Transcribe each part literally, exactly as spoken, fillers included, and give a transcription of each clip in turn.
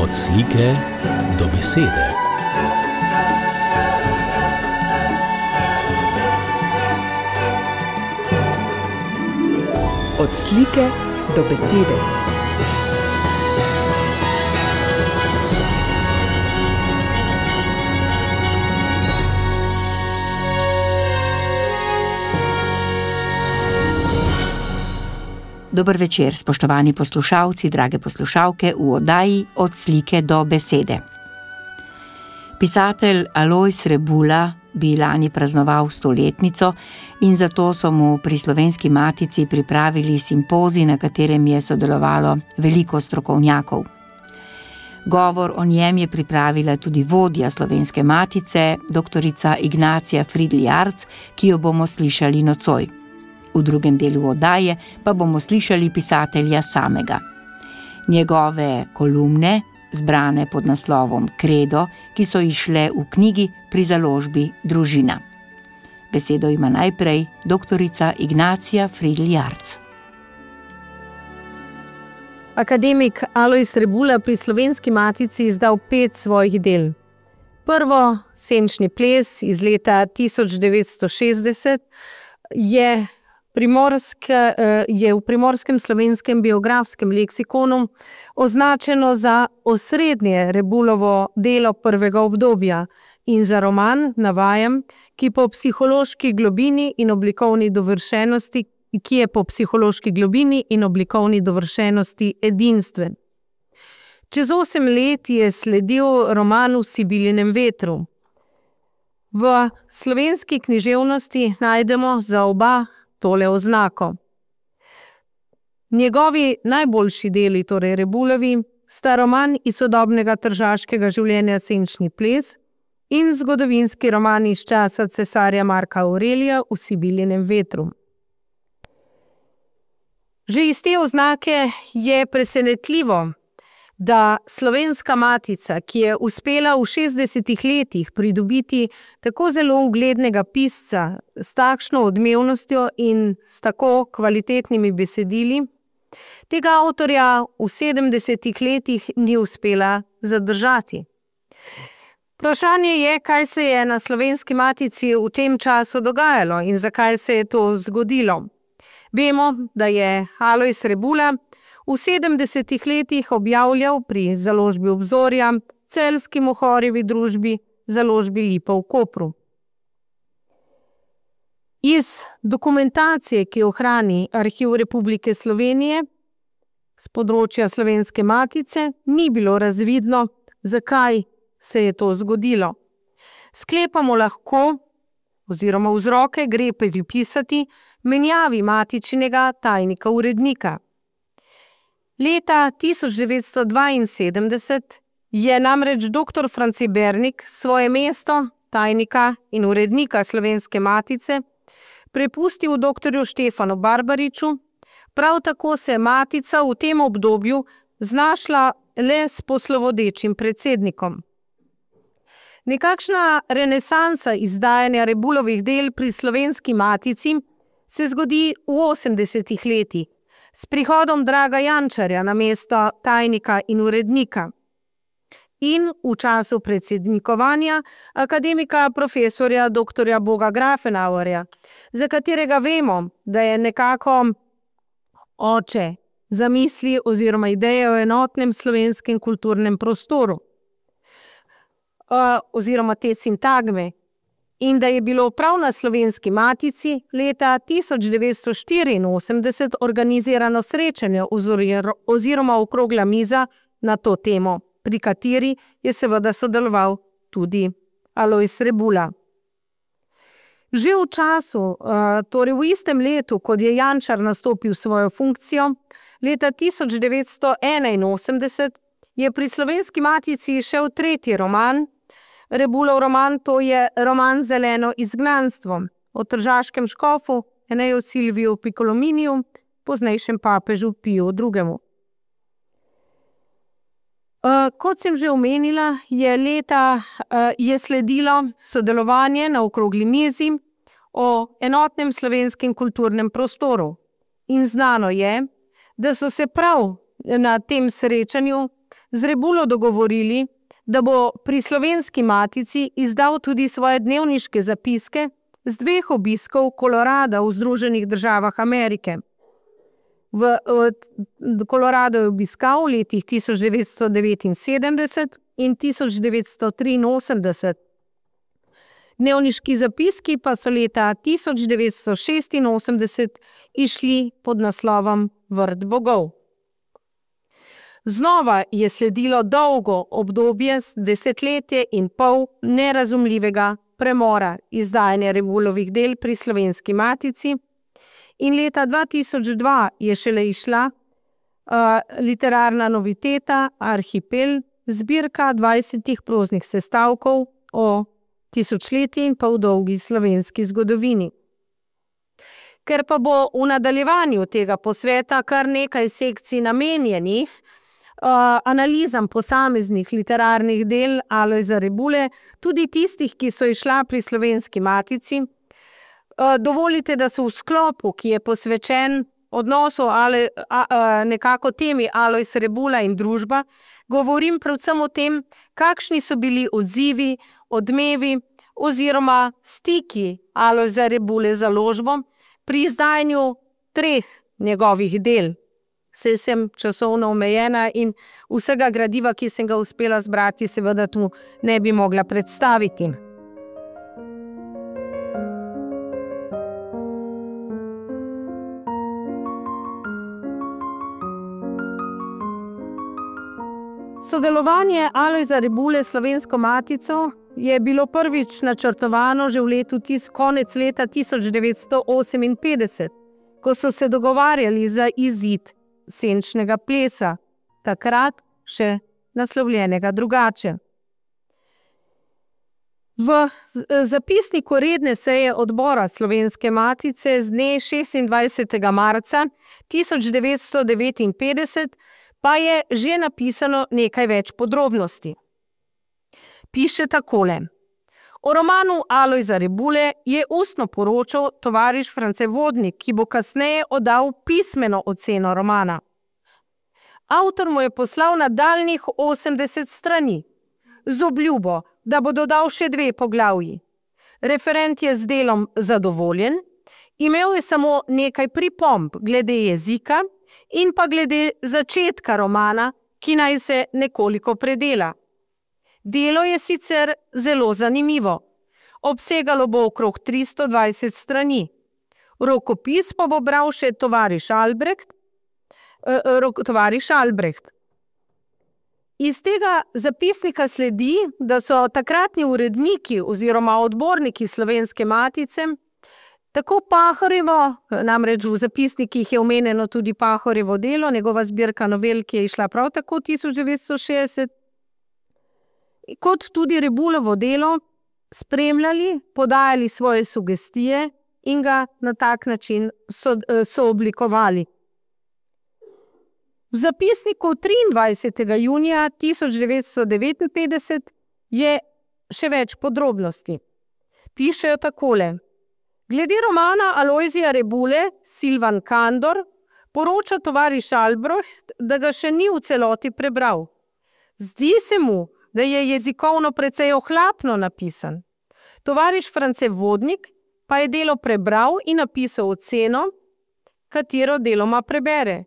Od slike do besede. Od slike do besede. Dober večer, spoštovani poslušalci, drage poslušalke v oddaji Od slike do besede. Pisatelj Alojz Rebula bi lani praznoval stoletnico in zato so mu pri Slovenski matici pripravili simpozij, na katerem je sodelovalo veliko strokovnjakov. Govor o njem je pripravila tudi vodja Slovenske matice, doktorica Ignacija Fridl Jarc, ki jo bomo slišali nocoj. V drugem delu oddaje pa bomo slišali pisatelja samega. Njegove kolumne, zbrane pod naslovom Kredo, ki so izšle v knjigi pri založbi Družina. Besedo ima najprej doktorica Ignacija Fridl Jarc. Akademik Alojz Rebula pri Slovenski matici izdal pet svojih del. Prvo, Senčni ples iz leta tisoč devetsto šestdeset, je Primorske, je v Primorskem slovenskem biografskem leksikonu označeno za osrednje Rebulovo delo prvega obdobja in za roman, navajam, ki po psihološki globini in oblikovni dovršenosti, ki je po psihološki globini in oblikovni dovršenosti edinstven. Čez osem let je sledil roman V Sibilinem vetru. V slovenski književnosti najdemo za oba tole oznako. Njegovi najboljši deli, torej Rebulovi, sta roman iz sodobnega tržaškega življenja Senčni ples in zgodovinski roman iz časa cesarja Marka Aurelija V Sibilinem vetru. Že iz te oznake je presenetljivo, da Slovenska matica, ki je uspela v šestdesetih letih pridobiti tako zelo uglednega pisca s takšno odmevnostjo in s tako kvalitetnimi besedili, tega avtorja v sedemdesetih letih ni uspela zadržati. Vprašanje je, kaj se je na Slovenski matici v tem času dogajalo in zakaj se je to zgodilo. Vemo, da je Alojz Rebula v sedemdesetih letih objavljal pri založbi Obzorja, Celjski Mohorjevi družbi, založbi Lipa v Kopru. Iz dokumentacije, ki jo hrani Arhiv Republike Slovenije s področja Slovenske matice, ni bilo razvidno, zakaj se je to zgodilo. Sklepamo lahko, oziroma vzroke gre pripisati menjavi matičinega tajnika urednika. Leta tisoč devetsto dvainsedemdeset je namreč doktor France Bernik svoje mesto tajnika in urednika Slovenske matice prepustil doktorju Štefanu Barbariču, prav tako se je matica v tem obdobju znašla le s poslovodečim predsednikom. Nekakšna renesansa izdajanja Rebulovih del pri Slovenski matici se zgodi v osemdesetih letih, s prihodom Draga Jančarja na mesto tajnika in urednika in v času predsednikovanja akademika profesorja doktorja Boga Grafenauerja, za katerega vemo, da je nekako oče zamisli oziroma ideje o enotnem slovenskem kulturnem prostoru oziroma te sintagme, in da je bilo prav na Slovenski matici leta tisoč devetsto štiriinosemdeset organizirano srečanje oziroma okrogla miza na to temo, pri kateri je seveda sodeloval tudi Alojz Rebula. Že v času, torej v istem letu, kot je Jančar nastopil svojo funkcijo, leta tisoč devetsto enainosemdeset je pri Slovenski matici šel tretji roman, Rebulov roman, to je roman Zeleno izgnanstvo o tržaškem škofu Eneju Silviju Picolominiju, poznejšem papežu Piju drugemu. Kot sem že omenila, je leta je sledilo sodelovanje na okrogli mizi o enotnem slovenskem kulturnem prostoru. In znano je, da so se prav na tem srečanju z Rebulo dogovorili, da bo pri Slovenski matici izdal tudi svoje dnevniške zapiske z dveh obiskov Kolorada v Združenih državah Amerike. V, v Kolorado je obiskal v letih tisoč devetsto devetinsedemdeset in tisoč devetsto triinosemdeset. Dnevniški zapiski pa so leta tisoč devetsto šestinosemdeset išli pod naslovom Vrt bogov. Znova je sledilo dolgo obdobje, desetletje in pol nerazumljivega premora izdajanja Rebulovih del pri Slovenski matici in leta dva tisoč dva je šele išla uh, literarna noviteta Arhipel, zbirka dvajsetih proznih sestavkov o tisočletji in pol dolgi slovenski zgodovini. Ker pa bo v nadaljevanju tega posveta kar nekaj sekcij namenjenih uh, analizam posameznih literarnih del Alojza Rebule, tudi tistih, ki so išla pri Slovenski matici, uh, dovolite, da so v sklopu, ki je posvečen odnosu ale, a, a, nekako temi Alojz Rebula in družba, govorim predvsem o tem, kakšni so bili odzivi, odmevi oziroma stiki Alojza Rebule z založbo pri izdajanju treh njegovih del. Saj sem časovno omejena in vsega gradiva, ki sem ga uspela zbrati, seveda tu ne bi mogla predstaviti. Sodelovanje Alojza Rebule s Slovensko matico je bilo prvič načrtovano že v letu tis, konec leta tisoč devetsto oseminpetdeset, ko so se dogovarjali za izid senčnega plesa, takrat še naslovljenega drugače. V zapisniku redne seje odbora Slovenske matice z dne šestindvajsetega marca tisoč devetsto devetinpetdeset pa je že napisano nekaj več podrobnosti. Piše takole. O romanu Alojza Rebule je ustno poročal tovariš France Vodnik, ki bo kasneje oddal pismeno oceno romana. Avtor mu je poslal nadaljnjih osemdeset strani, z obljubo, da bo dodal še dve poglavji. Referent je z delom zadovoljen, imel je samo nekaj pripomb glede jezika in pa glede začetka romana, ki naj se nekoliko predela. Delo je sicer zelo zanimivo. Obsegalo bo okrog tristo dvajset strani. Rokopis pa bo bral še tovariš Albrecht. Eh, tovariš Albrecht. Iz tega zapisnika sledi, da so takratni uredniki oziroma odborniki Slovenske matice tako Pahorjevo, namreč v zapisnikih je omenjeno tudi Pahorjevo delo, njegova zbirka novel, ki je išla prav tako tisoč devetsto šestdeset, kot tudi Rebulovo delo spremljali, podajali svoje sugestije in ga na tak način so, so oblikovali. V zapisniku triindvajsetega junija tisoč devetsto devetinpetdeset je še več podrobnosti. Pišejo takole. Glede romana Alojzija Rebule, Silvan Kandor, poroča tovariš Albrecht, da ga še ni v celoti prebral. Zdi se mu, da je jezikovno precej ohlapno napisan. Tovariš France Vodnik pa je delo prebral in napisal oceno, katero deloma prebere.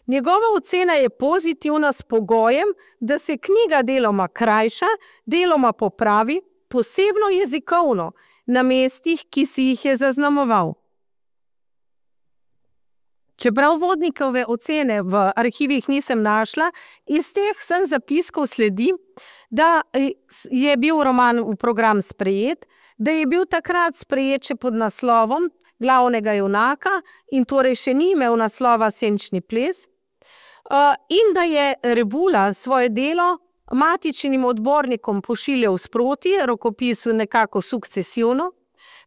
Njegova ocena je pozitivna s pogojem, da se knjiga deloma krajša, deloma popravi, posebno jezikovno, na mestih, ki si jih je zaznamoval. Čeprav Vodnikove ocene v arhivih nisem našla, iz teh vseh zapiskov sledi, da je bil roman v program sprejet, da je bil takrat sprejet še pod naslovom glavnega junaka in torej še ni imel naslova Senčni ples, in da je Rebula svoje delo matičnim odbornikom pošiljal sproti, rokopisu nekako sukcesivno,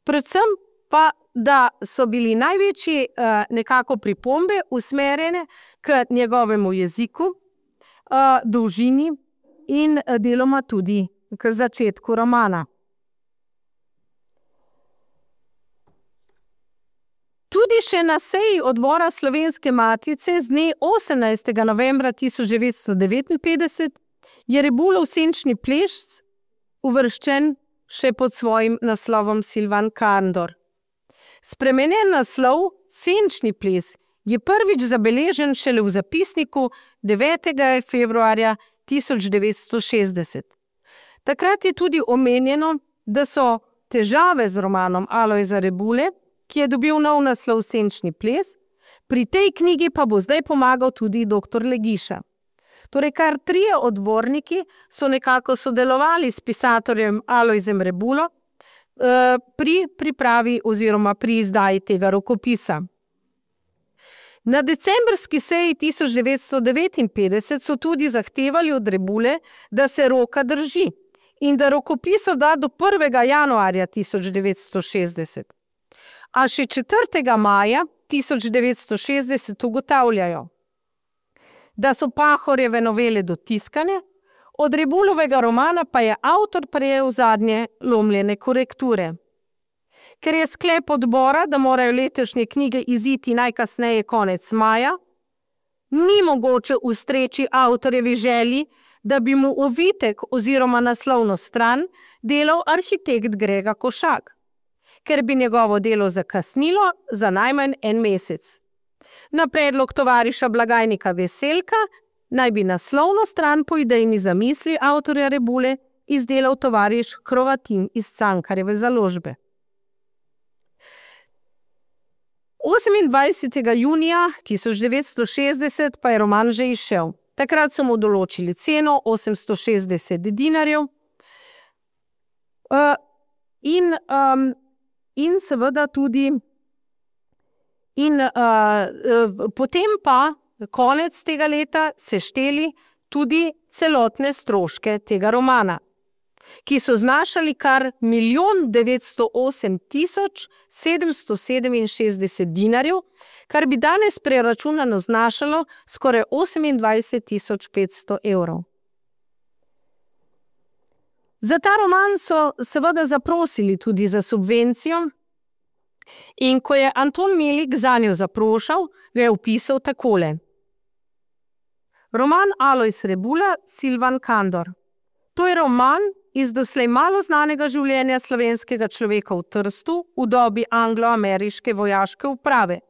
predvsem pa, da so bili največji nekako pripombe usmerjene k njegovemu jeziku, dolžini in deloma tudi k začetku romana. Tudi Tudi še na seji odbora Slovenske matice z dne osemnajstega novembra tisoč devetsto devetinpetdeset je Rebulov senčni ples uvrščen še pod svojim naslovom Silvan Kandor. Spremenjen naslov senčni ples je prvič zabeležen šele v zapisniku devetega februarja tisoč devetsto šestdeset. Takrat je tudi omenjeno, da so težave z romanom Alojza Rebule, ki je dobil nov naslov senčni ples, pri tej knjigi pa bo zdaj pomagal tudi doktor Legiša. Torej, kar trije odborniki so nekako sodelovali s pisateljem Alojzem Rebulo eh, pri pripravi oziroma pri izdaji tega rokopisa. Na decembrski seji tisoč devetsto devetinpetdeset so tudi zahtevali od Rebule, da se roka drži in da rokopis odda do prvega januarja tisoč devetsto šestdeset. A še četrtega maja tisoč devetsto šestdeset ugotavljajo, da so Pahorjeve novele dotiskane, od Rebulovega romana pa je avtor prejel zadnje lomljene korekture. Ker je sklep odbora, da morajo letošnje knjige iziti najkasneje konec maja, ni mogoče ustreči avtorjevi želji, da bi mu ovitek oziroma naslovno stran delal arhitekt Grega Košak, ker bi njegovo delo zakasnilo za najmanj en mesec. Na predlog tovariša blagajnika Veselka naj bi naslovno stran po idejni zamisli avtorja Rebule izdelal tovariš Hrovatin iz Cankarjeve založbe. osemindvajsetega junija tisoč devetsto šestdeset pa je roman že izšel. Takrat so mu določili ceno osemsto šestdeset dinarjev uh, in, um, in seveda tudi in uh, uh, potem pa konec tega leta sešteli tudi celotne stroške tega romana, ki so znašali kar milijon devetsto osem tisoč sedemsto sedeminšestdeset dinarjev, kar bi danes preračunano znašalo skoraj osemindvajset tisoč petsto evrov. Za ta roman so seveda zaprosili tudi za subvencijo in ko je Anton Melik zanjo zaprošal, ga je opisal takole. Roman Alojz Rebula, Silvan Kandor. To je roman iz doslej malo znanega življenja slovenskega človeka v Trstu v dobi anglo-ameriške vojaške uprave.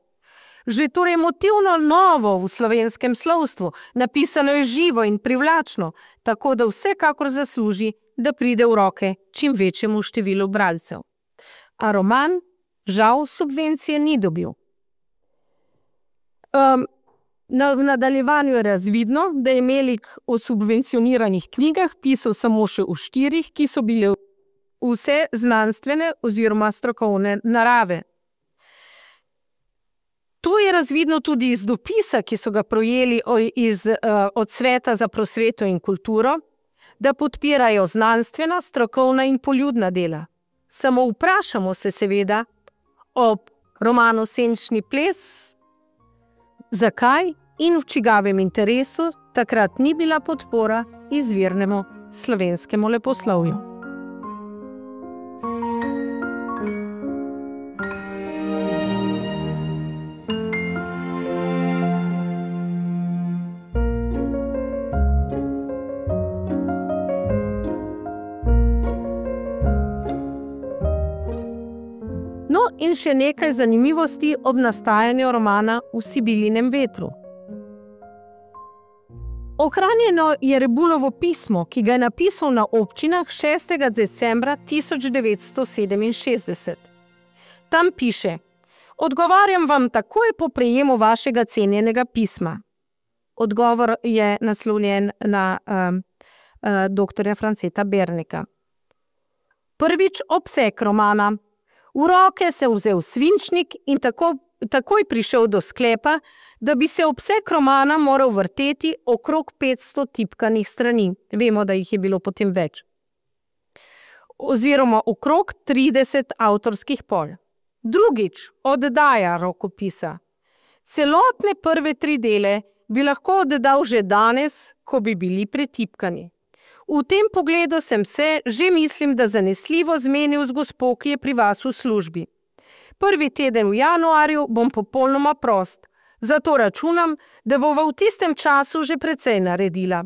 Že torej motivno novo v slovenskem slovstvu, napisano je živo in privlačno, tako da vsekakor zasluži, da pride v roke čim večjemu številu bralcev. A roman žal subvencije ni dobil. Um, na, v nadaljevanju je razvidno, da je Melik o subvencioniranih knjigah pisal samo še v štirih, ki so bile vse znanstvene oziroma strokovne narave. To je razvidno tudi iz dopisa, ki so ga projeli iz, od Sveta za prosveto in kulturo, da podpirajo znanstvena, strokovna in poljudna dela. Samo vprašamo se seveda ob romanu Senčni ples, zakaj in v čigavem interesu takrat ni bila podpora izvirnemu slovenskemu leposlovju. No, in še nekaj zanimivosti ob nastajanju romana V Sibilinem vetru. Ohranjeno je Rebulovo pismo, ki ga je napisal na občinah šestega decembra tisoč devetsto sedeminšestdeset. Tam piše: Odgovarjam vam takoj po prejemu vašega cenjenega pisma. Odgovor je naslovljen na um, uh, doktorja Franceta Bernika. Prvič obseg romana. V roke se vzel svinčnik in tako, takoj prišel do sklepa, da bi se obseg romana moral vrteti okrog petsto tipkanih strani. Vemo, da jih je bilo potem več. Oziroma okrog trideset avtorskih pol. Drugič, oddaja rokopisa. Celotne prve tri dele bi lahko oddal že danes, ko bi bili pretipkani. V tem pogledu sem se, že mislim, da zanesljivo zmenil z gospo, ki je pri vas v službi. Prvi teden v januarju bom popolnoma prost, zato računam, da bova v tistem času že precej naredila.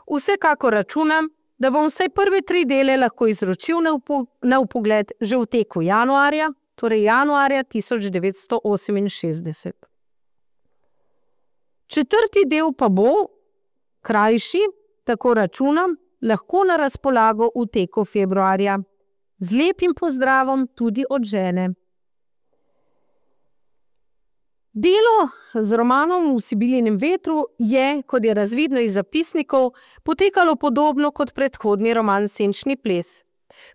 Vsekakor računam, da bom vsaj prve tri dele lahko izročil na, upo, na upogled že v teku januarja, torej januarja tisoč devetsto oseminšestdeset. Četrti del pa bo, krajši, tako računam, lahko na razpolago v teku februarja. Z lepim pozdravom tudi od žene. Delo z romanom V Sibilinem vetru je, kot je razvidno iz zapisnikov, potekalo podobno kot predhodni roman Senčni ples.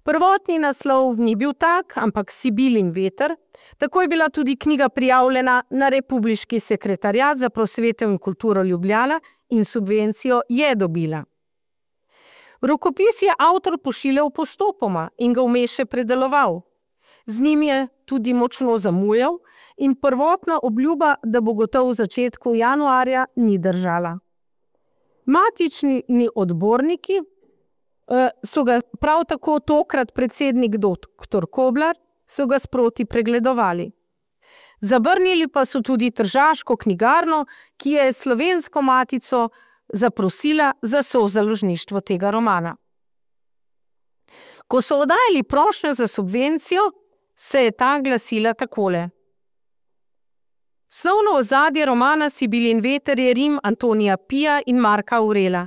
Prvotni naslov ni bil tak, ampak Sibilin veter. Tako je bila tudi knjiga prijavljena na Republiški sekretariat za prosveto in kulturo Ljubljana in subvencijo je dobila. Rokopis je avtor pošiljal postopoma in ga vmes še predeloval. Z njim je tudi močno zamujal in prvotna obljuba, da bo gotov v začetku januarja, ni držala. Matični odborniki so ga prav tako tokrat predsednik doktor Koblar so ga sproti pregledovali. Zavrnili pa so tudi Tržaško knjigarno, ki je Slovensko matico zaprosila za sozaložništvo tega romana. Ko so oddajali prošnjo za subvencijo, se je ta glasila takole. Snovno ozadje romana Sibilin veter je Rim Antonija Pija in Marka Aurela.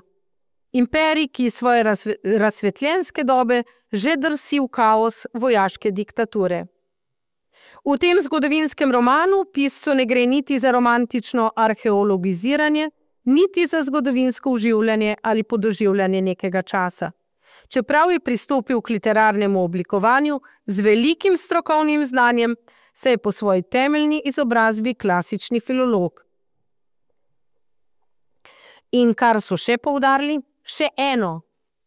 Imperij, ki iz svoje razsvetljenske dobe že drsi v kaos vojaške diktature. V tem zgodovinskem romanu piscu ne gre niti za romantično arheologiziranje, niti za zgodovinsko uživljanje ali podoživljanje nekega časa. Čeprav je pristopil k literarnemu oblikovanju z velikim strokovnim znanjem, se je po svoji temeljni izobrazbi klasični filolog. In kar so še poudarili, še eno,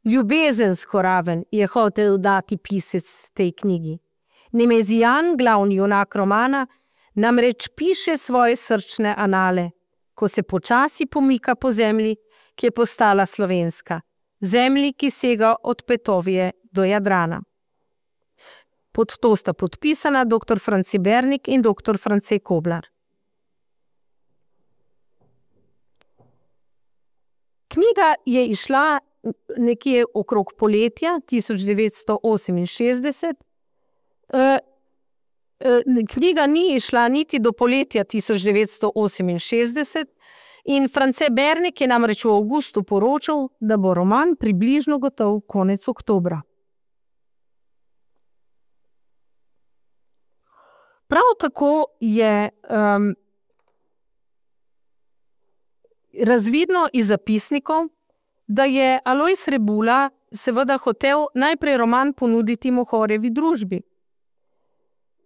ljubezensko raven je hotel dati pisec tej knjigi. Nemezijan, glavni junak romana, namreč piše svoje srčne anale, ko se počasi pomika po zemlji, ki je postala slovenska, zemlji, ki sega od Petovije do Jadrana. Pod to sta podpisana doktor France Bernik in doktor France Koblar. Knjiga je izšla nekje okrog poletja tisoč devetsto oseminšestdeset. Knjiga ni izšla niti do poletja tisoč devetsto oseminšestdeset in France Bernik je namreč v avgustu poročal, da bo roman približno gotov konec oktobra. Prav tako je um, razvidno iz zapisnikov, da je Alojz Rebula seveda hotel najprej roman ponuditi Mohorjevi družbi.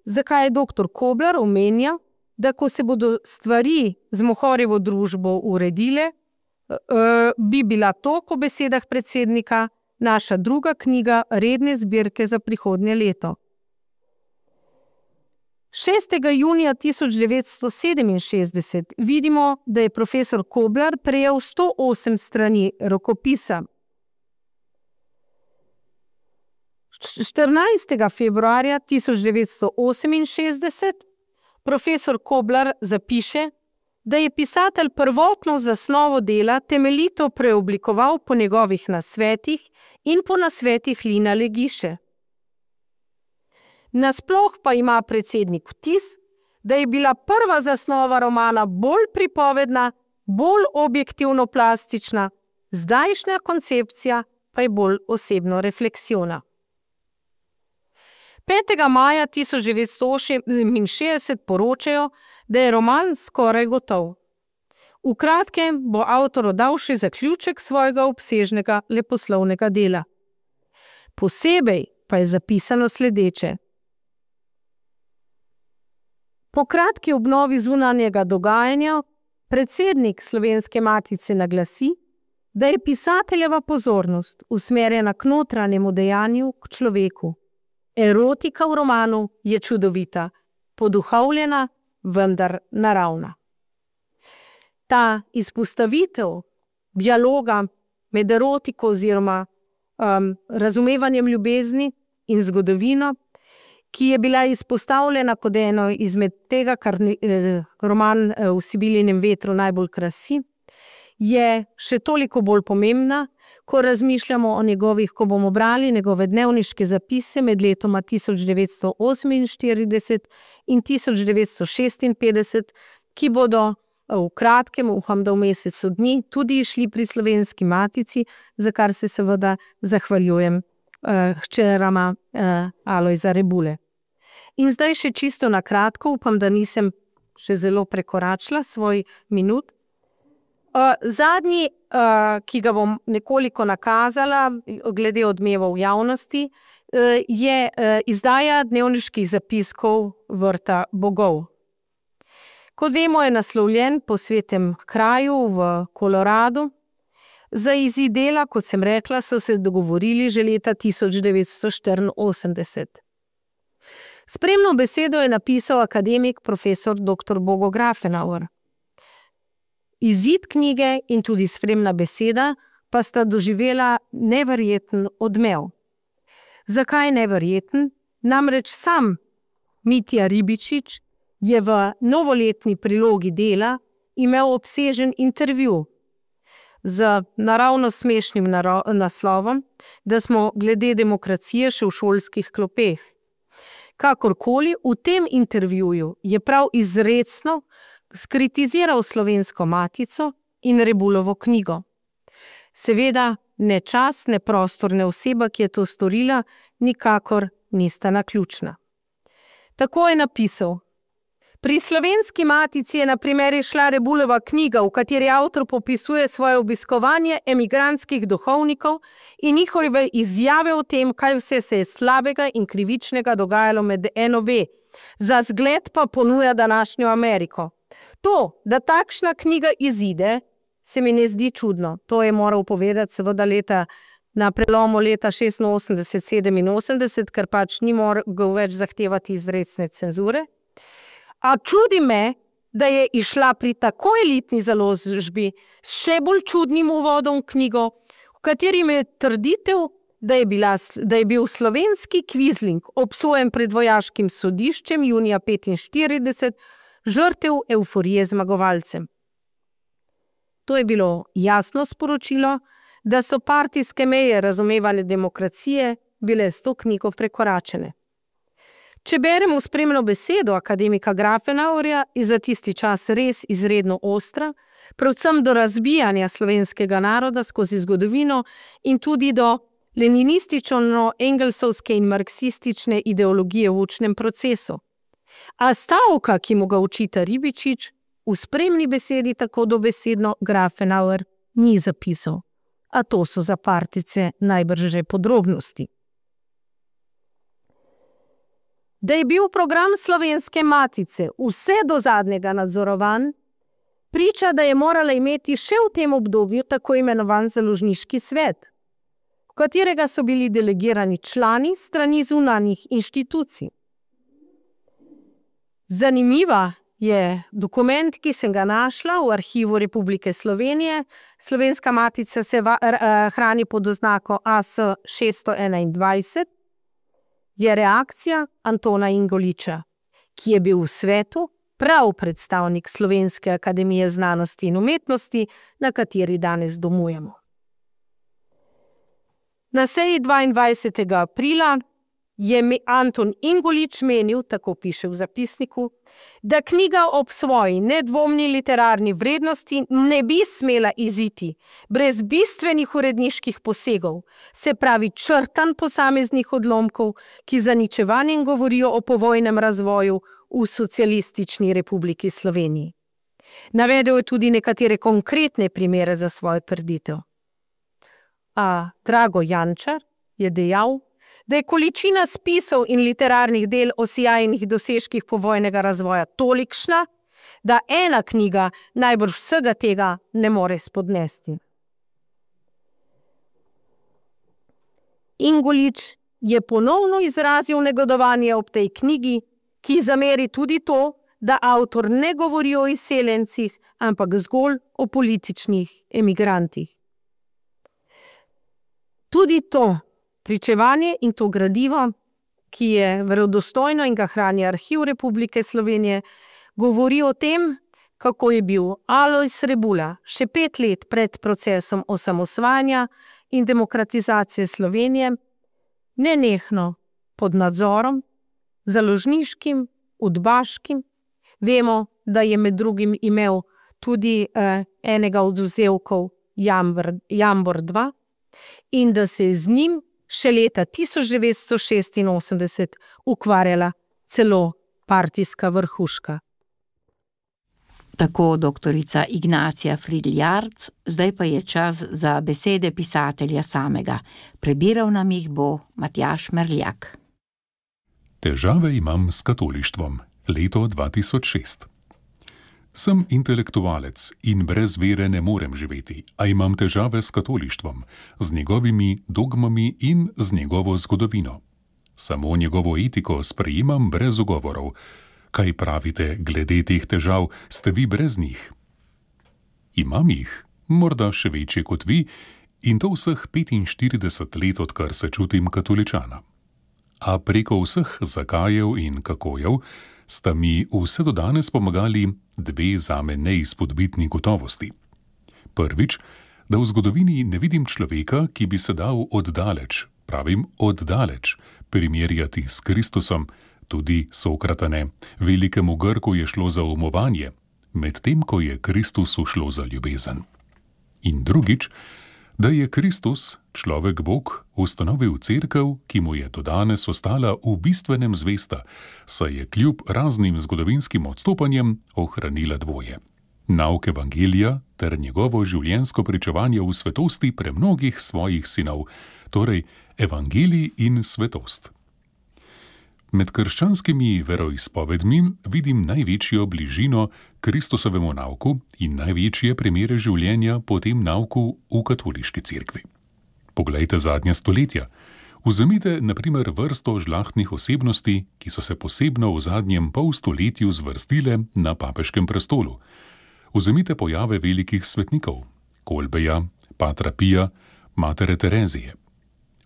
Zakaj je doktor Koblar omenja, da ko se bodo stvari z Mohorjevo družbo uredile, bi bila to, po besedah predsednika, naša druga knjiga redne zbirke za prihodnje leto. šestega junija tisoč devetsto sedeminšestdeset vidimo, da je profesor Koblar prejel sto osem strani rokopisa. štirinajstega februarja tisoč devetsto oseminšestdeset profesor Koblar zapiše, da je pisatelj prvotno zasnovo dela temeljito preoblikoval po njegovih nasvetih in po nasvetih Lina Legiše. Nasploh pa ima predsednik vtis, da je bila prva zasnova romana bolj pripovedna, bolj objektivno plastična, zdajšnja koncepcija pa je bolj osebno refleksivna. petega maja tisoč devetsto oseminšestdeset poročajo, da je roman skoraj gotov. V kratkem bo avtor oddal še zaključek svojega obsežnega leposlovnega dela. Posebej pa je zapisano sledeče. Po kratki obnovi zunanjega dogajanja predsednik Slovenske matice naglasi, da je pisateljeva pozornost usmerjena k notranjemu dejanju, k človeku. Erotika v romanu je čudovita, poduhovljena, vendar naravna. Ta izpostavitev dialoga med erotiko oziroma um, razumevanjem ljubezni in zgodovino ki je bila izpostavljena kot eno izmed tega, kar eh, roman eh, V Sibilinem vetru najbolj krasi, je še toliko bolj pomembna, ko razmišljamo o njegovih, ko bomo brali njegove dnevniške zapise med letoma tisoč devetsto oseminštirideset in tisoč devetsto šestinpetdeset, ki bodo v kratkem, upam, da v mesecu dni, tudi išli pri Slovenski matici, za kar se seveda zahvaljujem uh, hčerama uh, Alojza Rebule. In zdaj še čisto na kratko, upam, da nisem še zelo prekoračila svoj minut. Uh, zadnji, uh, ki ga bom nekoliko nakazala, glede odmevov javnosti, uh, je uh, izdaja dnevniških zapiskov Vrta bogov. Kot vemo, je naslovljen po svetem kraju v Koloradu. Za izid dela, kot sem rekla, so se dogovorili že leta tisoč devetsto štiriinosemdeset. Spremno besedo je napisal akademik profesor doktor Bogo Grafenauer. Izid knjige in tudi spremna beseda pa sta doživela neverjeten odmev. Zakaj neverjeten? Namreč sam Mitja Ribičič je v novoletni prilogi dela imel obsežen intervju z naravno smešnim naslovom, da smo glede demokracije še v šolskih klopeh. Kakorkoli, v tem intervjuju je prav izrecno skritiziral Slovensko matico in Rebulovo knjigo. Seveda, ne čas, ne prostor, ne oseba, ki je to storila, nikakor nista naključna. Tako je napisal: Pri Slovenski matici je na primer izšla Rebulova knjiga, v kateri avtor popisuje svoje obiskovanje emigrantskih duhovnikov in njihove izjave o tem, kaj vse se je slabega in krivičnega dogajalo med N O B, za zgled pa ponuja današnjo Ameriko. To, da takšna knjiga izide, se mi ne zdi čudno. To je moral povedati seveda leta, na prelomu leta šestinosemdeset sedeminosemdeset, ker pač ni mogel več zahtevati izrecne cenzure. A čudi me, da je išla pri tako elitni založbi s še bolj čudnim uvodom v knjigo, v katerim je trditev, da je, bila, da je bil slovenski kvizling obsojen pred vojaškim sodiščem junija petinštirideset, žrtev evforije zmagovalcem. To je bilo jasno sporočilo, da so partijske meje razumevane demokracije bile s to knjigo prekoračene. Če beremo spremno besedo akademika Grafenauerja, je za tisti čas res izredno ostra, predvsem do razbijanja slovenskega naroda skozi zgodovino in tudi do leninistično-engelsovske in marksistične ideologije v učnem procesu. A stavka, ki mu ga učita Ribičič, v spremni besedi tako dobesedno Grafenauer ni zapisal. A to so za partice najbrž že podrobnosti. Da je bil program Slovenske matice vse do zadnjega nadzorovan, priča, da je morala imeti še v tem obdobju tako imenovan založniški svet, v katerega so bili delegirani člani strani zunanjih inštitucij. Zanimiva je dokument, ki sem ga našla v arhivu Republike Slovenije. Slovenska matica se va, r, hrani pod oznako A S šeststo enaindvajset. Je reakcija Antona Ingoliča, ki je bil v svetu prav predstavnik Slovenske akademije znanosti in umetnosti, na kateri danes domujemo. Na seji dvaindvajsetega aprila je Anton Ingolič menil, tako piše v zapisniku, da knjiga ob svoji nedvomni literarni vrednosti ne bi smela iziti brez bistvenih uredniških posegov, se pravi črtanj posameznih odlomkov, ki zaničevanjem govorijo o povojnem razvoju v Socialistični republiki Sloveniji. Navedel je tudi nekatere konkretne primere za svojo trditev. A Drago Jančar je dejal, da je količina spisov in literarnih del o sijajnih dosežkih povojnega razvoja tolikšna, da ena knjiga najbrž vsega tega ne more spodnesti. Ingolič je ponovno izrazil negodovanje ob tej knjigi, ki zameri tudi to, da avtor ne govori o izseljencih, ampak zgolj o političnih emigrantih. Tudi to pričevanje in to gradivo ki je verodostojno in ga hrani Arhiv Republike Slovenije, govori o tem, kako je bil Alojz Rebula še pet let pred procesom osamosvajanja in demokratizacije Slovenije nenehno pod nadzorom, založniškim, udbaškim. Vemo, da je med drugim imel tudi eh, enega od vzdevkov Jambor, Jambor dva in da se je z njim še leta tisoč devetsto šestinosemdeset ukvarjala celo partijska vrhuška. Tako doktorica Ignacija Fridl-Jarc, zdaj pa je čas za besede pisatelja samega. Prebiral nam jih bo Matjaž Merljak. Težave imam s katolištvom. Leto dva tisoč šest. Sem intelektualec in brez vere ne morem živeti, a imam težave s katolištvom, z njegovimi dogmami in z njegovo zgodovino. Samo njegovo etiko sprejemam brez ugovorov. Kaj pravite glede teh težav, ste vi brez njih? Imam jih, morda še večje kot vi, in to vseh petinštirideset let, odkar se čutim katoličana. A preko vseh zakajev in kakojev sta mi vse do danes pomagali dve zame neizpodbitni gotovosti. Prvič, da v zgodovini ne vidim človeka, ki bi se dal oddaleč, pravim oddaleč, primerjati s Kristusom, tudi Sokrata ne. Velikemu Grku je šlo za umovanje, medtem ko je Kristusu šlo za ljubezen. In drugič, da je Kristus, človek Bog, ustanovil cerkev, ki mu je do danes ostala v bistvenem zvesta, saj je kljub raznim zgodovinskim odstopanjem ohranila dvoje. Nauk evangelija ter njegovo življenjsko pričevanje v svetosti premnogih svojih sinov, torej evangelij in svetost. Med krščanskimi veroizpovedmi vidim največjo bližino Kristusovemu nauku in največje primere življenja po tem nauku v katoliški cerkvi. Poglejte zadnja stoletja. Vzemite na primer vrsto žlahtnih osebnosti, ki so se posebno v zadnjem pol stoletju zvrstile na papeškem prestolu. Vzemite pojave velikih svetnikov, Kolbeja, Patra Pija, Matere Terezije.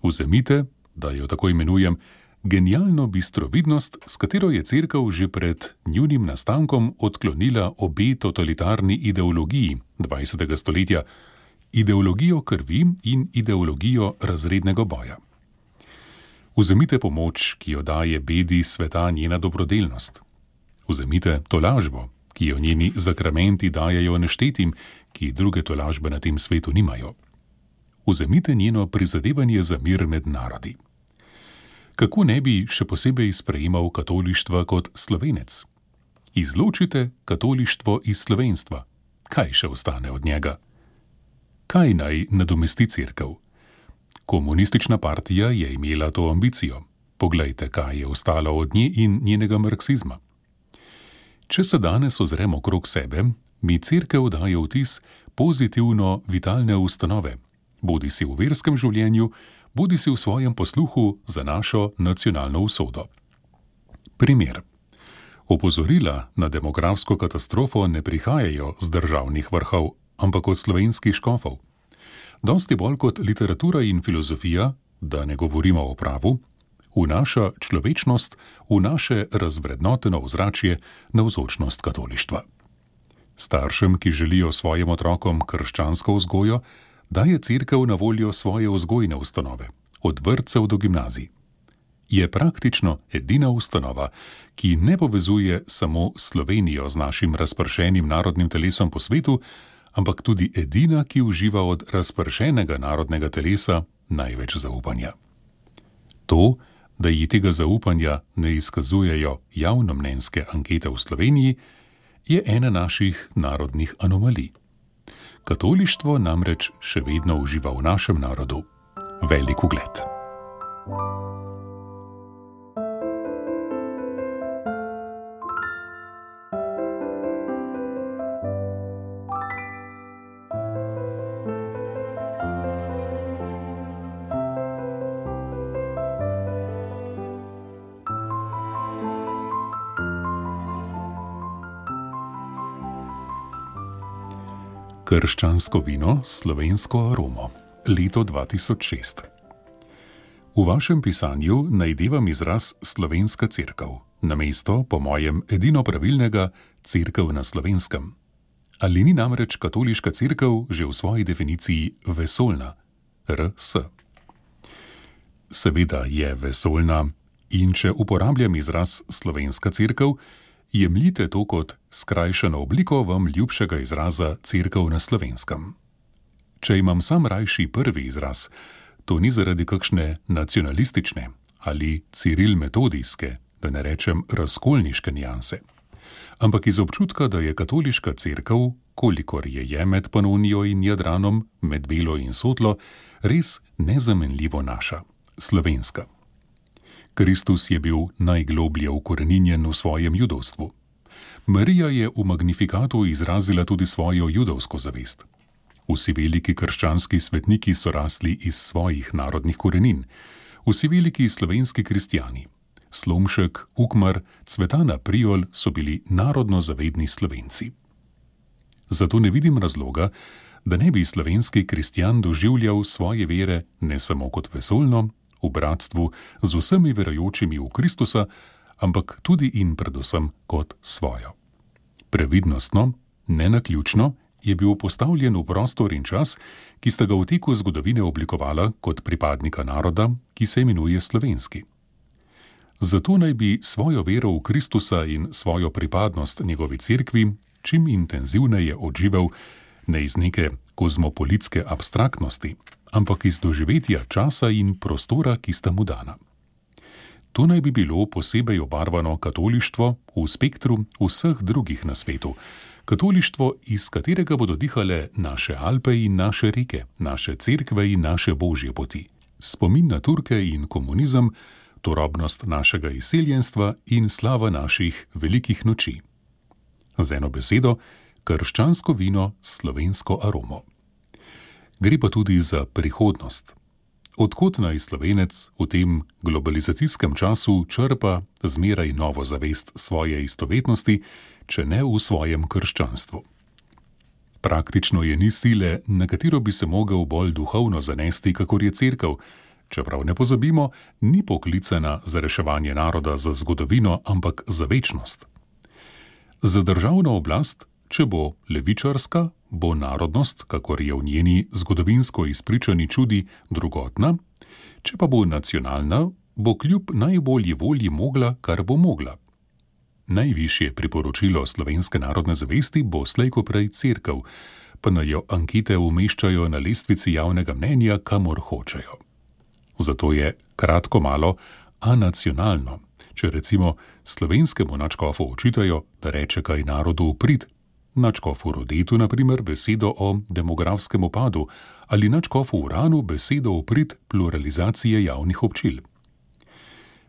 Vzemite, da jo tako imenujem, genialno bistrovidnost, s katero je cerkev že pred njunim nastankom odklonila obe totalitarni ideologiji dvajsetega stoletja, ideologijo krvi in ideologijo razrednega boja. Vzemite pomoč, ki jo daje bedi sveta njena dobrodelnost. Vzemite tolažbo, ki jo njeni zakramenti dajejo neštetim, ki druge tolažbe na tem svetu nimajo. Vzemite njeno prizadevanje za mir med narodi. Kako ne bi še posebej sprejemal katolištva kot Slovenec? Izločite katolištvo iz slovenstva. Kaj še ostane od njega? Kaj naj nadomesti cerkev? Komunistična partija je imela to ambicijo. Poglejte, kaj je ostalo od nje in njenega marksizma. Če se danes ozremo okrog sebe, mi cerkev daje vtis pozitivno vitalne ustanove, bodi si v verskem življenju, bodi si v svojem posluhu za našo nacionalno usodo. Primer. Opozorila na demografsko katastrofo ne prihajajo z državnih vrhov, ampak od slovenskih škofov. Dosti bolj kot literatura in filozofija, da ne govorimo o pravu, vnaša človečnost v naše razvrednoteno ozračje navzočnost katolištva. Staršem, ki želijo svojim otrokom krščansko vzgojo, daje cerkev na voljo svoje vzgojne ustanove, od vrtcev do gimnazij. Je praktično edina ustanova, ki ne povezuje samo Slovenijo z našim razpršenim narodnim telesom po svetu, ampak tudi edina, ki uživa od razpršenega narodnega telesa največ zaupanja. To, da ji tega zaupanja ne izkazujejo javnomnenjske ankete v Sloveniji, je ena naših narodnih anomalij. Katolištvo namreč še vedno uživa v našem narodu velik ugled. Krščansko vino s slovensko aromo, leto dva tisoč šest. V vašem pisanju najdevam izraz slovenska cerkev, namesto, po mojem, edino pravilnega cerkev na slovenskem. Ali ni namreč katoliška cerkev že v svoji definiciji vesoljna, R S? Seveda je vesoljna in če uporabljam izraz slovenska cerkev, jemljite to kot skrajšano obliko vam ljubšega izraza cerkev na slovenskem. Če imam sam rajši prvi izraz, to ni zaradi kakšne nacionalistične ali ciril-metodijske, da ne rečem razkolniške nijanse, ampak iz občutka, da je katoliška cerkev, kolikor je je med Panonijo in Jadranom, med belo in sotlo, res nezamenljivo naša, slovenska. Kristus je bil najgloblje ukoreninjen v svojem judovstvu. Marija je v Magnifikatu izrazila tudi svojo judovsko zavest. Vsi veliki krščanski svetniki so rasli iz svojih narodnih korenin, vsi veliki slovenski kristjani, Slomšek, Ukmar, Cvetana Prijol so bili narodno zavedni Slovenci. Zato ne vidim razloga, da ne bi slovenski kristjan doživljal svoje vere ne samo kot vesoljno, v bratstvu z vsemi verujočimi v Kristusa, ampak tudi in predvsem kot svojo. Previdnostno, nenaključno, je bil postavljen v prostor in čas, ki sta ga v teku zgodovine oblikovala kot pripadnika naroda, ki se imenuje slovenski. Zato naj bi svojo vero v Kristusa in svojo pripadnost njegovi cerkvi čim intenzivneje odživel ne iz neke kozmopolitske abstraktnosti, ampak iz doživetja časa in prostora, ki sta mu dana. To naj bi bilo posebej obarvano katolištvo v spektru vseh drugih na svetu, katolištvo, iz katerega bodo dihale naše Alpe in naše reke, naše cerkve in naše božje poti, spomin na Turke in komunizem, turobnost našega izseljenstva in slava naših velikih noči. Z eno besedo, krščansko vino s slovensko aromo. Gre pa tudi za prihodnost. Odkot naj Slovenec v tem globalizacijskem času črpa zmeraj novo zavest svoje istovetnosti, če ne v svojem krščanstvu. Praktično je ni sile, na katero bi se mogel bolj duhovno zanesti, kakor je cerkev, čeprav ne pozabimo, ni poklicana za reševanje naroda za zgodovino, ampak za večnost. Za državno oblast, če bo levičarska, bo narodnost, kakor je v njeni zgodovinsko izpričani čudi, drugotna, če pa bo nacionalna, bo kljub najbolji volji mogla, kar bo mogla. Najvišje priporočilo slovenske narodne zavesti bo slej ko prej cerkev, pa naj jo ankete umeščajo na lestvici javnega mnenja, kamor hočejo. Zato je kratko malo anacionalno, če recimo slovenskemu nadškofu očitajo, da reče kaj narodu v prid, nadškofu Rodetu na primer besedo o demografskem upadu ali nadškofu Uranu besedo v prid pluralizacije javnih občil.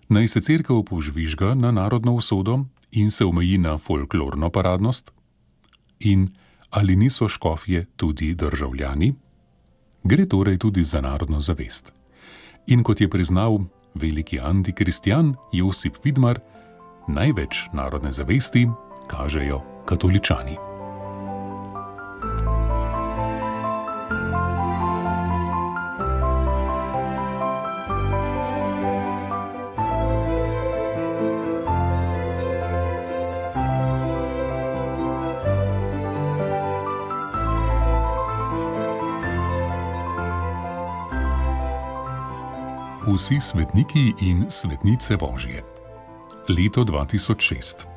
Naj se cerkev požvižga na narodno usodo in se omeji na folklorno paradnost? In ali niso škofje tudi državljani? Gre torej tudi za narodno zavest. In kot je priznal veliki antikristjan Josip Vidmar, največ narodne zavesti kažejo katoličani. Vsi svetniki in svetnice Božje. Leto dva tisoč šest.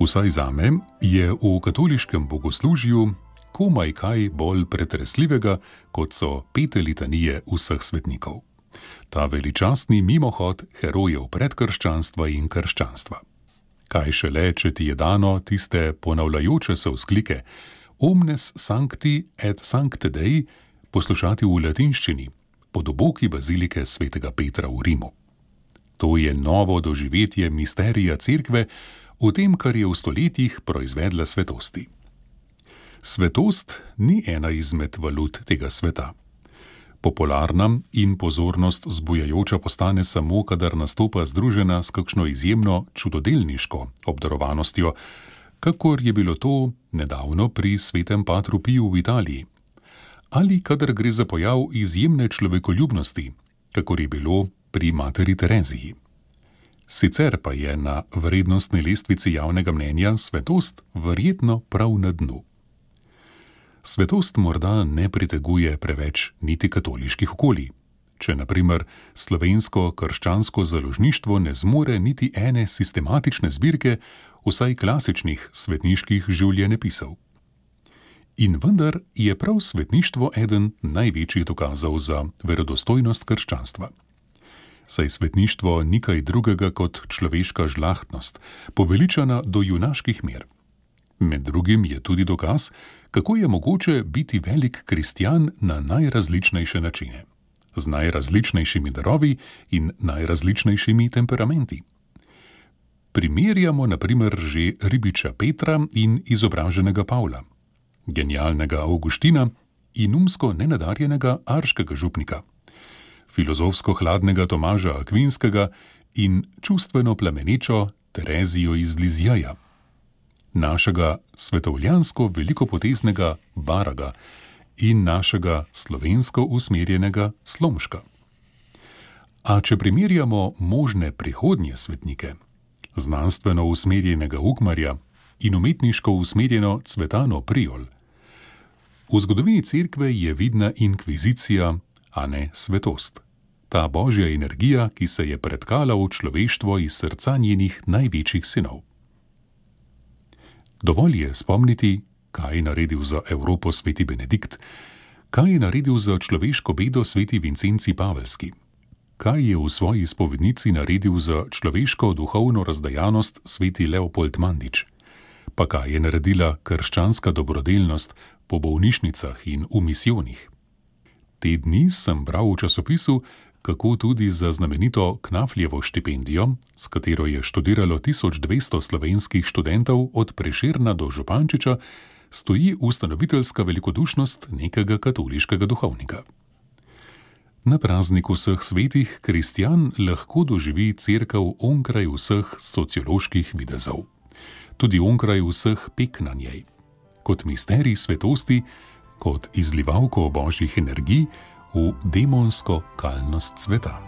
Vsaj zame je v katoliškem bogoslužju komaj kaj bolj pretresljivega, kot so pete litanije vseh svetnikov. Ta veličastni mimohod herojev predkrščanstva in krščanstva. Kaj šele, če ti je dano tiste ponavljajoče se vzklike Omnes sancti et sancte Dei poslušati v latinščini, pod oboki bazilike svetega Petra v Rimu. To je novo doživetje misterija cerkve v tem, kar je v stoletjih proizvedla svetosti. Svetost ni ena izmed valut tega sveta. Popularna in pozornost zbujajoča postane samo, kadar nastopa združena s kakšno izjemno čudodelniško obdarovanostjo, kakor je bilo to nedavno pri svetem Patru Piju v Italiji, ali kadar gre za pojav izjemne človekoljubnosti, kakor je bilo pri materi Tereziji. Sicer pa je na vrednostni lestvici javnega mnenja svetost verjetno prav na dnu. Svetost morda ne priteguje preveč niti katoliških okolij, če na primer slovensko krščansko založništvo ne zmore niti ene sistematične zbirke vsaj klasičnih svetniških življenjepisov. In vendar je prav svetništvo eden največjih dokazov za verodostojnost krščanstva. Saj svetništvo ni kaj drugega kot človeška žlahtnost, poveličana do junaških mer. Med drugim je tudi dokaz, kako je mogoče biti velik kristjan na najrazličnejše načine, z najrazličnejšimi darovi in najrazličnejšimi temperamenti. Primerjamo na primer že ribiča Petra in izobraženega Pavla, genialnega Avguština in umsko nenadarjenega arškega župnika, filozofsko hladnega Tomaža Akvinskega in čustveno plamenečo Terezijo iz Lizjeja, našega svetovljansko velikopoteznega Baraga in našega slovensko usmerjenega Slomška. A če primerjamo možne prihodnje svetnike, znanstveno usmerjenega Ukmarja in umetniško usmerjeno Cvetano Prijol, v zgodovini cerkve je vidna inkvizicija, a ne svetost. Ta božja energija, ki se je pretkala v človeštvo iz srca njenih največjih sinov. Dovolj je spomniti, kaj je naredil za Evropo sveti Benedikt, kaj je naredil za človeško bedo sveti Vincenci Pavelski, kaj je v svoji spovednici naredil za človeško duhovno razdajanost sveti Leopold Mandič, pa kaj je naredila krščanska dobrodelnost po bolnišnicah in v misijonih. Te dni sem bral v časopisu, kako tudi za znamenito Knafljevo štipendijo, s katero je študiralo tisoč dvesto slovenskih študentov od Prešerna do Župančiča, stoji ustanoviteljska velikodušnost nekega katoliškega duhovnika. Na prazniku vseh svetih kristjan lahko doživi cerkev onkraj vseh socioloških videzov, tudi onkraj vseh pek na njej, kot misterij svetosti, kot izlivalko božjih energij v demonsko kalnost sveta.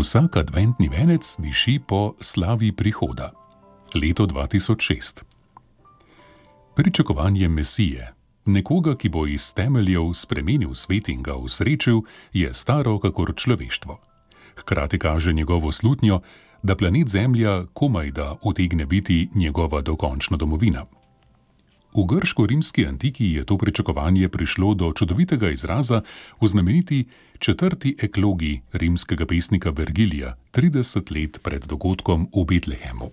Vsak adventni venec diši po slavi prihoda. Leto dva tisoč šest. Pričakovanje Mesije, nekoga, ki bo iz temeljev spremenil svet in ga usrečil, je staro kakor človeštvo. Hkrati kaže njegovo slutnjo, da planet Zemlja komaj da utegne biti njegova dokončna domovina. V grško-rimski antiki je to pričakovanje prišlo do čudovitega izraza v znameniti četrti eklogi rimskega pesnika Vergilija, trideset let pred dogodkom v Betlehemu.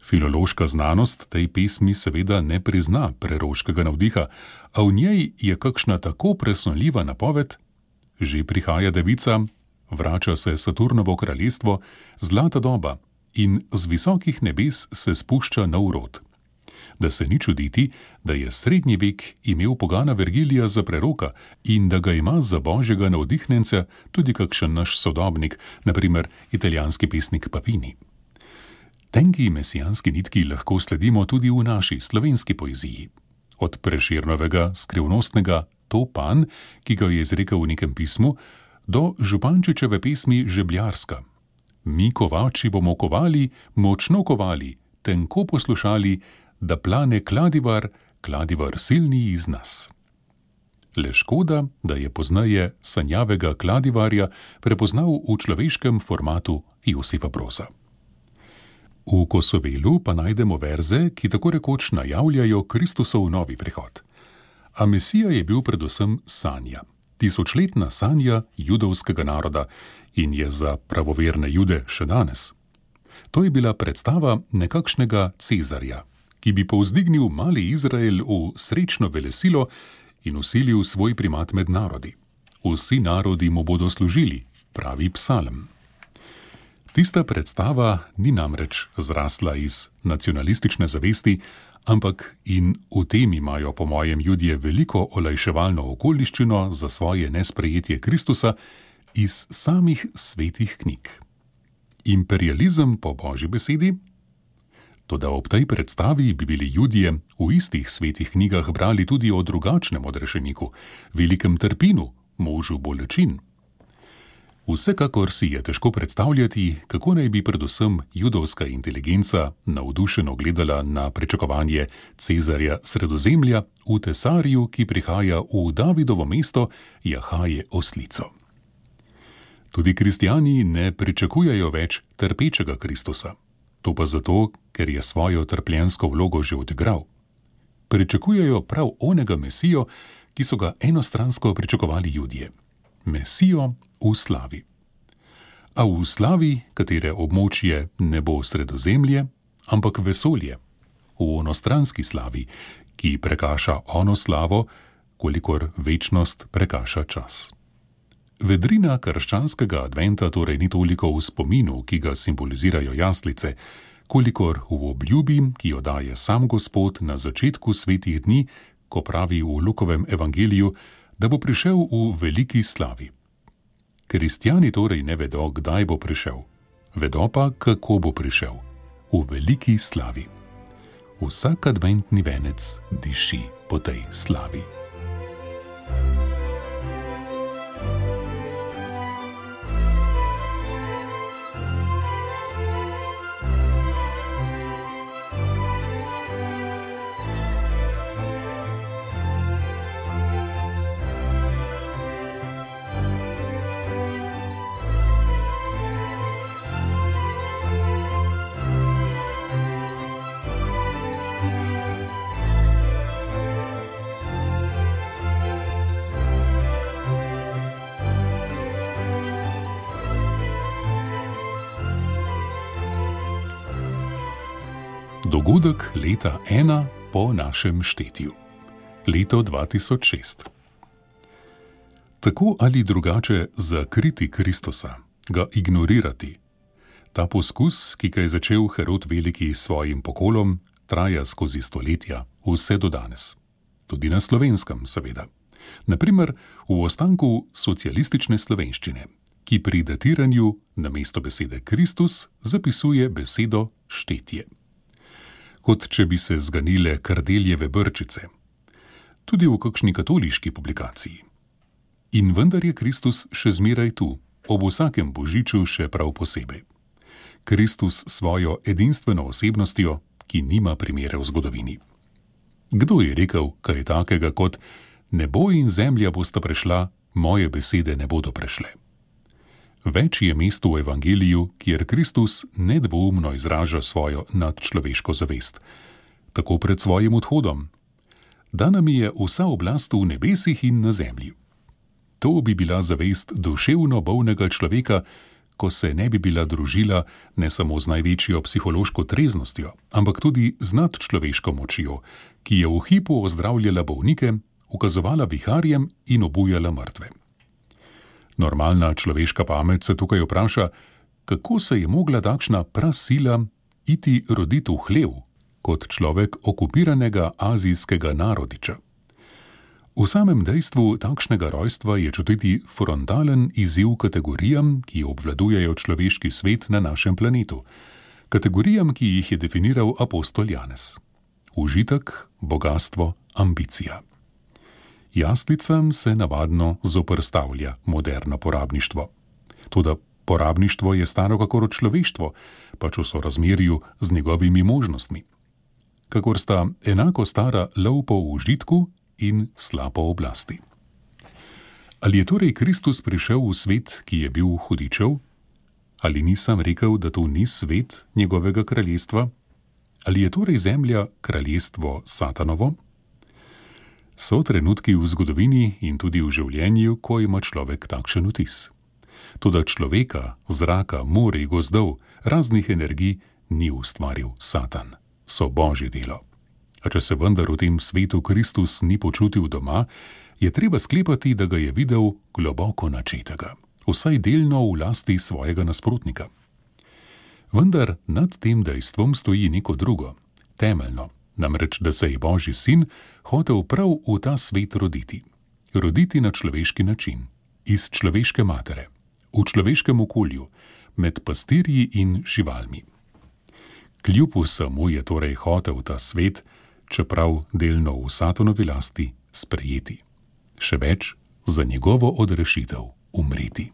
Filološka znanost tej pesmi seveda ne prizna preroškega navdiha, a v njej je kakšna tako presunljiva napoved: že prihaja devica, vrača se Saturnovo kraljestvo, zlata doba in z visokih nebes se spušča nov rod. Da se ni čuditi, da je srednji vek imel pogana Vergilija za preroka in da ga ima za božjega navdihnjenca tudi kakšen naš sodobnik, na primer italijanski pesnik Papini. Tenki mesijanski nitki lahko sledimo tudi v naši slovenski poeziji. Od Prešernovega skrivnostnega To pan, ki ga je izrekel v nekem pismu, do Župančičeve pesmi Žebljarska. Mi kovači bomo kovali, močno kovali, tenko poslušali, da plane kladivar, kladivar silni iz nas. Le škoda, da je poznaje sanjavega kladivarja prepoznal v človeškem formatu Josipa Broza. V Kosovelu pa najdemo verze, ki tako rekoč najavljajo Kristusov novi prihod. A Mesija je bil predvsem sanja, tisočletna sanja judovskega naroda in je za pravoverne Jude še danes. To je bila predstava nekakšnega Cezarja, ki bi povzdignil mali Izrael v srečno velesilo in vsilil svoj primat med narodi. Vsi narodi mu bodo služili, pravi psalm. Tista predstava ni namreč zrasla iz nacionalistične zavesti, ampak in v tem imajo po mojem Judje veliko olajševalno okoliščino za svoje nesprejetje Kristusa iz samih svetih knjig. Imperializem po Božji besedi? Toda ob tej predstavi bi bili Judje v istih svetih knjigah brali tudi o drugačnem odrešeniku, velikem trpinu, možu bolečin. Vsekakor si je težko predstavljati, kako naj bi predvsem judovska inteligenca navdušeno gledala na pričakovanje Cezarja Sredozemlja v tesarju, ki prihaja v Davidovo mesto, jahaje oslico. Tudi kristjani ne pričakujejo več trpečega Kristusa. To pa zato, ker je svojo trpljensko vlogo že odigral. Pričakujejo prav onega Mesijo, ki so ga enostransko pričakovali Judje. Mesijo v slavi. A v slavi, katere območje ne bo Sredozemlje, ampak vesolje. V onostranski slavi, ki prekaša ono slavo, kolikor večnost prekaša čas. Vedrina krščanskega adventa torej ni toliko v spominu, ki ga simbolizirajo jaslice, kolikor v obljubi, ki jo daje sam Gospod na začetku svetih dni, ko pravi v Lukovem evangeliju, da bo prišel v veliki slavi. Kristjani torej ne vedo, kdaj bo prišel. Vedo pa, kako bo prišel. V veliki slavi. Vsak adventni venec diši po tej slavi. Dogodek leta ena po našem štetju. Leto dva tisoč šest. Tako ali drugače zakriti Kristusa, ga ignorirati. Ta poskus, ki ga je začel Herod Veliki s svojim pokolom, traja skozi stoletja, vse do danes. Tudi na Slovenskem, seveda. Naprimer, v ostanku socialistične slovenščine, ki pri datiranju namesto besede Kristus zapisuje besedo štetje. Kot če bi se zganile kardeljeve brčice. Tudi v kakšni katoliški publikaciji. In vendar je Kristus še zmeraj tu, ob vsakem božiču še prav posebej. Kristus svojo edinstveno osebnostjo, ki nima primere v zgodovini. Kdo je rekel kaj takega kot nebo in zemlja bosta prešla, moje besede ne bodo prešle? Več je mest v evangeliju, kjer Kristus nedvoumno izraža svojo nadčloveško zavest. Tako pred svojim odhodom. Dana mi je vsa oblast v nebesih in na zemlji. To bi bila zavest duševno bolnega človeka, ko se ne bi bila družila ne samo z največjo psihološko treznostjo, ampak tudi z nadčloveško močjo, ki je v hipu ozdravljala bolnike, ukazovala viharjem in obujala mrtve. Normalna človeška pamet se tukaj vpraša, kako se je mogla takšna prasila iti roditi v hlev, kot človek okupiranega azijskega narodiča. V samem dejstvu takšnega rojstva je čutiti frontalen izziv kategorijam, ki obvladujejo človeški svet na našem planetu, kategorijam, ki jih je definiral apostol Janez. Užitek, bogastvo, ambicija. Jaslicam se navadno zoperstavlja moderno porabništvo. Toda porabništvo je staro kakor človeštvo, pač v sorazmerju z njegovimi možnostmi. Kakor sta enako stara lov po užitku in sla po oblasti. Ali je torej Kristus prišel v svet, ki je bil hudičev? Ali nisem rekel, da to ni svet njegovega kraljestva? Ali je torej zemlja kraljestvo Satanovo? So trenutki v zgodovini in tudi v življenju, ko ima človek takšen vtis. Toda človeka, zraka, morij, gozdov, raznih energij ni ustvaril Satan. So Božje delo. A če se vendar v tem svetu Kristus ni počutil doma, je treba sklepati, da ga je videl globoko načetega, vsaj delno v lasti svojega nasprotnika. Vendar nad tem dejstvom stoji neko drugo, temeljno, namreč da se je Božji sin hotel prav v ta svet roditi. Roditi na človeški način, iz človeške matere, v človeškem okolju, med pastirji in živalmi. Kljub vsemu je torej hotel ta svet, čeprav delno v Satonovi lasti, sprejeti. Še več, za njegovo odrešitev umreti.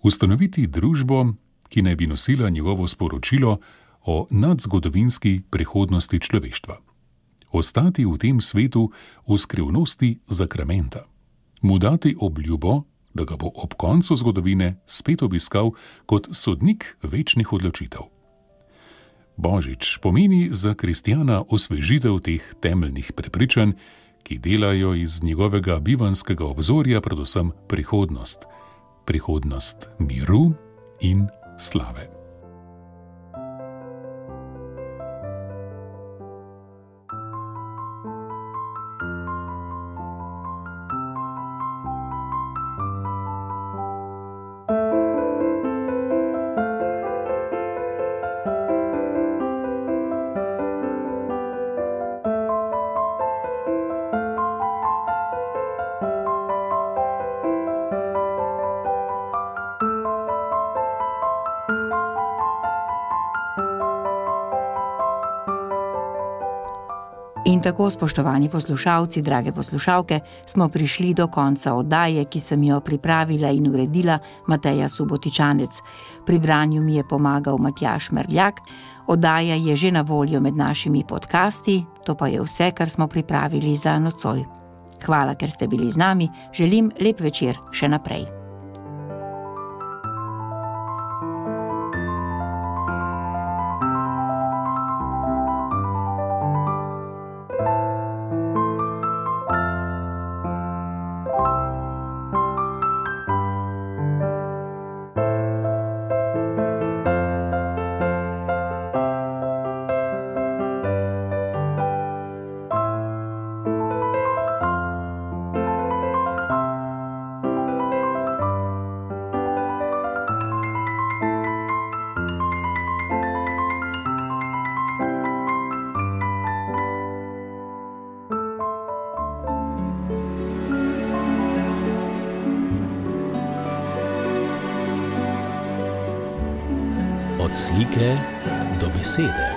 Ustanoviti družbo, ki naj bi nosila njegovo sporočilo o nadzgodovinski prihodnosti človeštva. Ostati v tem svetu v skrivnosti zakramenta. Mu dati obljubo, da ga bo ob koncu zgodovine spet obiskal kot sodnik večnih odločitev. Božič pomeni za kristjana osvežitev teh temeljnih prepričanj, ki delajo iz njegovega bivanjskega obzorja predvsem prihodnost. Prihodnost miru in slave. In tako, spoštovani poslušalci, drage poslušalke, smo prišli do konca oddaje, ki sem jo pripravila in uredila Mateja Subotičanec. Pri branju mi je pomagal Matjaž Merljak. Oddaja je že na voljo med našimi podcasti, to pa je vse, kar smo pripravili za nocoj. Hvala, ker ste bili z nami, želim lep večer še naprej. Od slike do besede.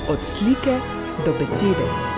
Od slike do besede.